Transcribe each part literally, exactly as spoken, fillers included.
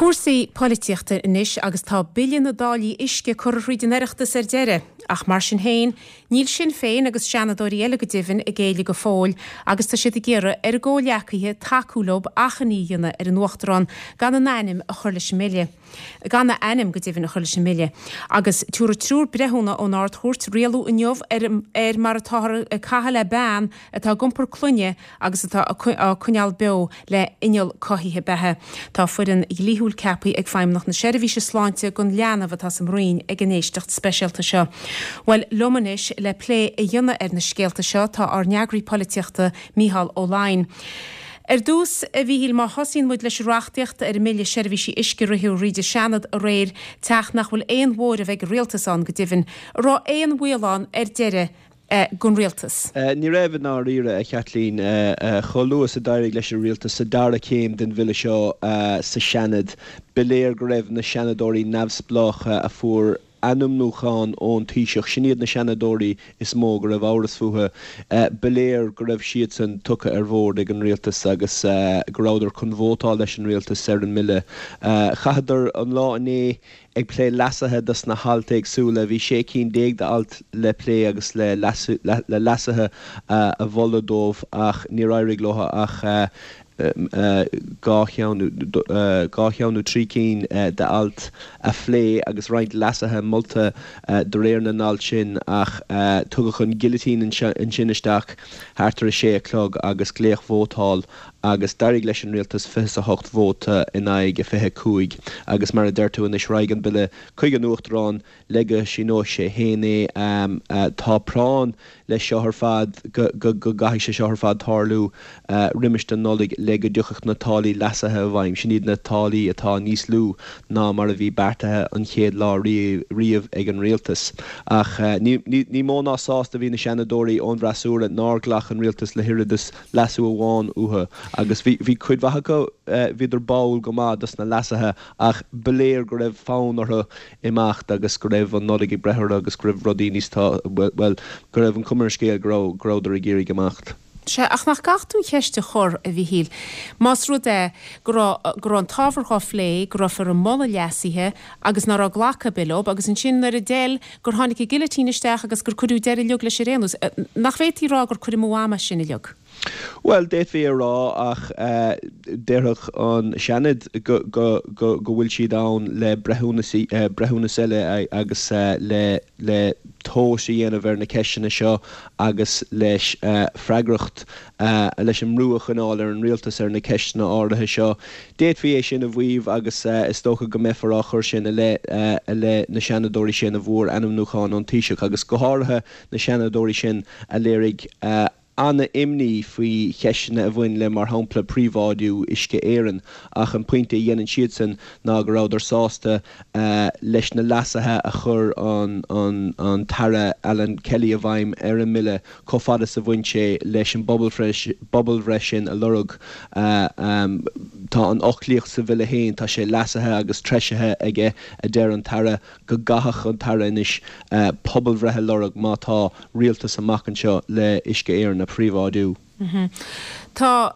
Cúrsaí polaitíochta anois agus tá Bille na dTáillí Uisce curtha thríd an Oireachtas ar deireadh, ach mar sin féin, níl Sinn Féin agus seanadóirí eile go deimhin ag géilleadh go fóill agus tá siad ag iarraidh ar a gcomhghleacaithe tacú leo achainí a dhéanamh ar an Uachtarán gan a n-ainm a chur leis an mbille. Gan a ainm go deimhin a chur leis an mbille. Agus tabharfaidh triúr breithiúna ón Ard-Chúirt rialú inniu ar ar mar atáthar ag caitheamh le bean atá ag iompar clainne agus atá á coinneáil beo le inneall cothaithe beatha. Tá foireann dhlíthiúil ceaptha ag Feidhmeannacht na Seirbhíse Sláinte don leanbh atá sa mbroinn ag an éisteacht speisialta seo. Bhuel, liom anois le plé a dhéanamh ar na scéalta seo tá ár n-eagraí polaitíochta Mícheál Ó Laighin. Ar dtús, a Mhíchíl, má thosaíonn muid leis an reachtaíocht ar an mBille Seirbhísí Uisce a ritheadh thríd an Seanad aréir, teach nach bhfuil aon mhóramh ag an rialtas ann go deimhin, an raibh aon bhaol ann ar deireadh don rialtas? Ní raibh i ndáiríre, a Chaitlín. Chomh luath is a d'éirigh leis an rialtas sa dara céim den bhille seo sa Seanad, ba léir go raibh na Seanadóirí neamhspleácha a fuair ainmniúchán ón Taoiseach, sin iad na Seanadóirí is mó go raibh amhras fúthu, ba léir go raibh siadsan tugtha ar bhord ag an rialtas agus go rabhadar chun vótáil leis an rialtas ar an mbille. Chaitheadar an lá inné ag plé leasuithe dos na hailt éagsúla. Bhí sé cinn déag d'alt le plé agus le leasuithe a mholadh dóibh ach níor éirigh leo ach dhá cheann dhá cheann nó trí cinn d'alt a phlé agus roinnt leasuithe molta de réir na n-alt sin ach tugadh an gilitín ansin isteach thart ar a sé a chlog agus glaodh vótáil agus d'éirigh leis an rialtas fiche is a hocht vóta in aghaidh a fiche a cúig agus mar a deir tú anois raghaidh an bille chuig an Uachtarán le go síneoidh sé féin é. Tá práinn leis seo ar fad go gcaithfidh sé seo ar fad tarlú roimis an Nollaig le go dtiocfadh na táillí leasaithe i bhfeidhm. Sin iad na táillí atá níos lú ná mar a bhí beartaithe an chéad lá riamh ag an rialtas. Ach ní mó ná sásta a bhí na Seanadóirí ón bhfreasúra nár ghlac an rialtas le hoiread is leasú amháin uathu agus bhí cuid mhaith acu, bhíodar báúil go maith dos na leasuithe ach ba léir go raibh fonn orthu imeacht agus go raibh an Nollaig ag breith orthu agus go raibh rudaí níos, bhuel, go raibh an chuma ar an scéal go raibh, go rabhadar ag iarraidh imeacht. Sea, ach nach gcaithfidh tú an cheist a chur, a Mhíchíl, más rud é go raibh, go raibh an t-ábhar dhá phlé, go raibh ar ag moladh leasuithe agus ná raibh glacadh ar bith leo, agus ansin nuair a d'fheil, gur tháinig an gilitín isteach agus gur cuireadh deireadh uilig leis ar aon nós. Nach bhféadfaí a rá gur cur amú ama sin uilig? Bhuel, d'fhéadfaí a rá ach déarfadh an Seanad go bhfuil siad ann le breithiúnas breithiúnas eile agus le le tomhas a dhéanamh ar na ceisteanna seo agus leis freagracht leis an mbrú a choinneáil ar an rialtas ar na ceisteanna áirithe seo. D'fhéadfaí é sin a mhaíomh agus is dócha go mbeifear á chur sin i leith i leith na Seanadóirí sin a bhfuair ainmniúchán ón Taoiseach agus go háirithe na Seanadóirí sin a léirigh an-imní faoi cheisteanna a bhain le, mar shampla, príobháidiú Uisce Éireann, ach an pointe a dhéanann siadsan ná go rabhadar sásta leis na leasuithe a chuir an tAire Alan Kelly i bhfeidhm ar an mbille chomh fada is a bhain sé leis an bpobalbhreith sin a lorg. Tá an fhoclaíocht sa bhille féin, tá sé leasaithe agus treisithe aige, a deir an tAire. go gcaithfeadh an tAire anois pobalbhreith a lorg má tá rialtas amach anseo le Uisce Éireann a phríobháidiú. Tá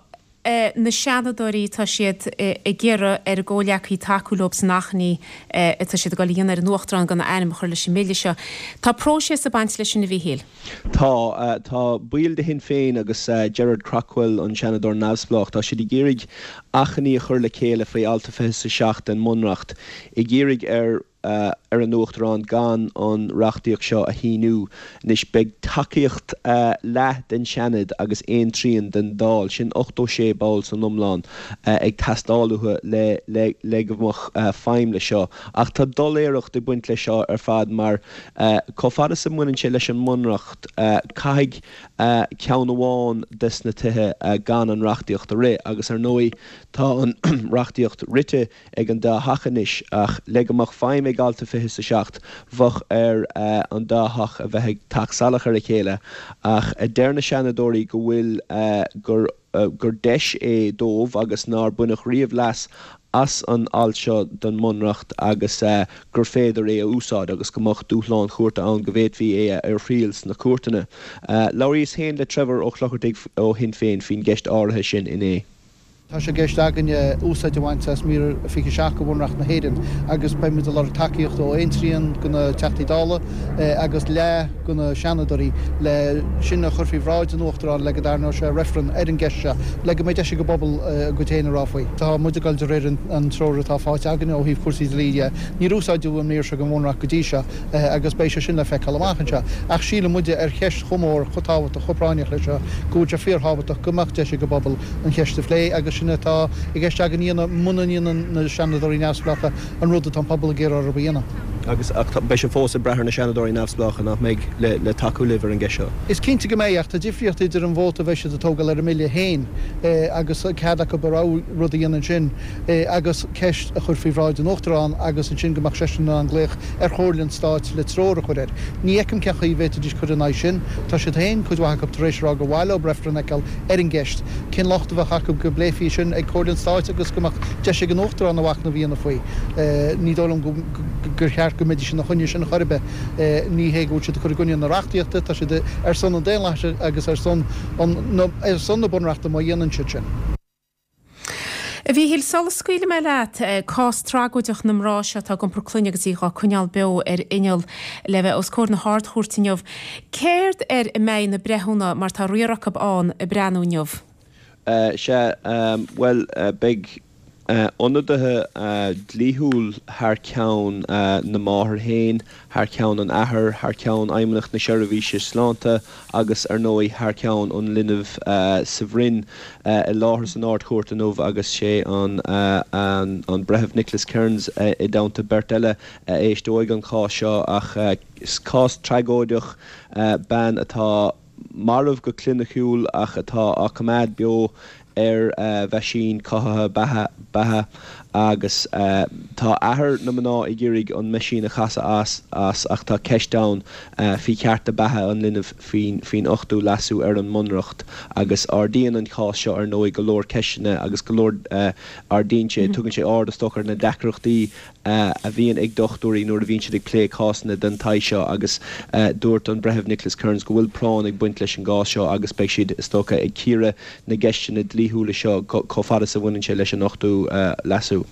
na Seanadóirí, tá siad ag iarraidh ar a gcomhghleacaithe tacú leo san achainí atá siad ag dul a dhéanamh ar an Uachtarán gan a ainm a chur leis an mbille seo. Tá próiseas ag baint leis sin, a Mhíchíl. Tá. Tá baill de Shinn Féin agus Gerard Craughwell, an Seanadóir neamhspleách, tá siad ag iarraidh achainí a chur le chéile faoi alt a fiche is a seacht den mBunreacht, ag iarraidh ar ar an Uachtarán gan an reachtaíocht seo a shíniú. Anois, beidh tacaíocht leath den Seanad agus aon trian den Dáil, sin ochtó sé ball san iomlán, ag teastáil uathu le le go mbeadh feidhm leis seo. Ach tá doiléireacht ag baint leis seo ar fad mar chomh fada is a mbaineann sé leis an mBunreacht, caithfidh ceann amháin des na tithe gan an reachtaíocht a rith agus ar ndóigh tá an reachtaíocht rite ag an dá theach anois ach le go mbeadh feidhm ag alt a fiche is a seacht bheadh ar an dá theach a bheith ag teacht salach ar a chéile ach deir na Seanadóirí go bhfuil gur gur deis é dóibh agus nár baineadh riamh leas as an alt seo den mBunreacht agus gur féidir é a úsáid agus go mbeadh dúshlán chúirte ann go bhféadfaí é a thriail sna cúirteanna. Labhraíos féin le Trevor Ó Clochartaigh ó Shinn Féin faoin gceist áirithe sin inné. Tá sé i gceist againne úsáid a bhaint as mír fiche seacht de Bhunreacht na hÉireann agus beimid ag lorg tacaíocht ó aon trian de na Teachtaí Dála agus leath de na Seanadóirí le sin a chur faoi bhráid an Uachtaráin le go dtarraingeodh sé reifreann ar an gceist seo le go mbeidh deis ag an bpobal a gcuid féin a rá faoi. Tá muid ag dul de réir an treoir atá faighte againne ó thaobh cúrsaí dlí de. Níor úsáideadh an mír seo den Bhunreacht go dtí seo agus beidh sé sin le feiceáil amach anseo. Ach síleann muide ar cheist chomh mór, chomh tábhachtach, chomh práinneach leis seo go bhfuil sé fíorthábhachtach go mbeadh deis ag an bpobal an cheist a phlé agus sin atá i gceist againn a dhéanamh muna ndéanann na Seanadóirí neamhspleácha an rud atá an pobal ag iarraidh orthu a dhéanamh. Agus ach beidh sé fós ag brath ar na Seanadóirí neamhspleácha, nach mbeidh, le le tacú libh ar an gceist seo? Is cinnte go mbeidh, ach tá difríocht idir an vóta a bheidh siad ag tógáil ar an mBille féin agus cead acu a rogha rud a dhéanamh ansin agus ceist a chur faoi bhráid an Uachtaráin agus ansin go mbeadh seisean in ann glaoch ar Chomhairle an Stáit le treoir a chur air. Ní fheicim cén chaoi a bhféadfaidís cur in aghaidh sin. Tá siad féin, cuid mhaith acu, tar éis a rá gur mhaith leo reifreann a fheiceáil ar an gceist. Cén locht a bheadh acu go bpléifí sin ag Comhairle an Stáit agus go mbeadh deis ag an Uachtarán a mhachnamh a dhéanamh faoi? Ní dóigh liom gur cheart go mbeidís ina choinne sin chor ar bith. Ní hé go bhfuil siad ag cur i gcoinne na reachtaíochta, tá siad ar son an daonlathais agus ar son ar son na Bunreachta má dhéanann siad sin. A Mhíchíl, sula scaoilfidh mé leat, cás tragóideach na mná seo atá ag iompar clainne agus í dhá coinneáil beo ar inneall le bheith os comhair na hArd-Chúirte inniu. Céard air a mbeidh na breithiúna, mar tá riar acu ann, ag breathnú inniu? Sea, bhuel, beidh ionadaithe dlíthiúil thar ceann na máthar féin, thar ceann an athar, thar ceann Fheidhmeannacht na Seirbhíse Sláinte agus, ar ndóigh, thar ceann an linbh sa bhroinn i láthair san Ard-Chúirt inniu agus sé an an Breitheamh Nicholas Kearns i dteannta beirt eile a éisteoidh an cás seo ach cás tragóideach, bean atá marbh go cliniciúil ach atá á coimeád beo ar mheaisín cothaithe beatha agus tá athair na mná ag iarraidh an meaisín a chasadh as ach tá ceist ann faoi chearta beatha an linbh faoin ochtú leasú ar an mBunreacht agus ardaíonn an cás seo ar ndóigh go leor ceisteanna agus go leor ardaíonn sé, tugann sé aird is dócha ar na deacrachtaí a bhíonn ag dochtúirí nuair a bhíonn siad ag plé cásanna den tsaghas seo agus dúirt an Breitheamh Nicholas Kearns go bhfuil práinn ag baint leis an gcás seo agus beidh siad, is dócha, ag cíoradh na gceisteanna dlíthiúla seo chomh fada is a bhaineann sé leis an ochtú leasú.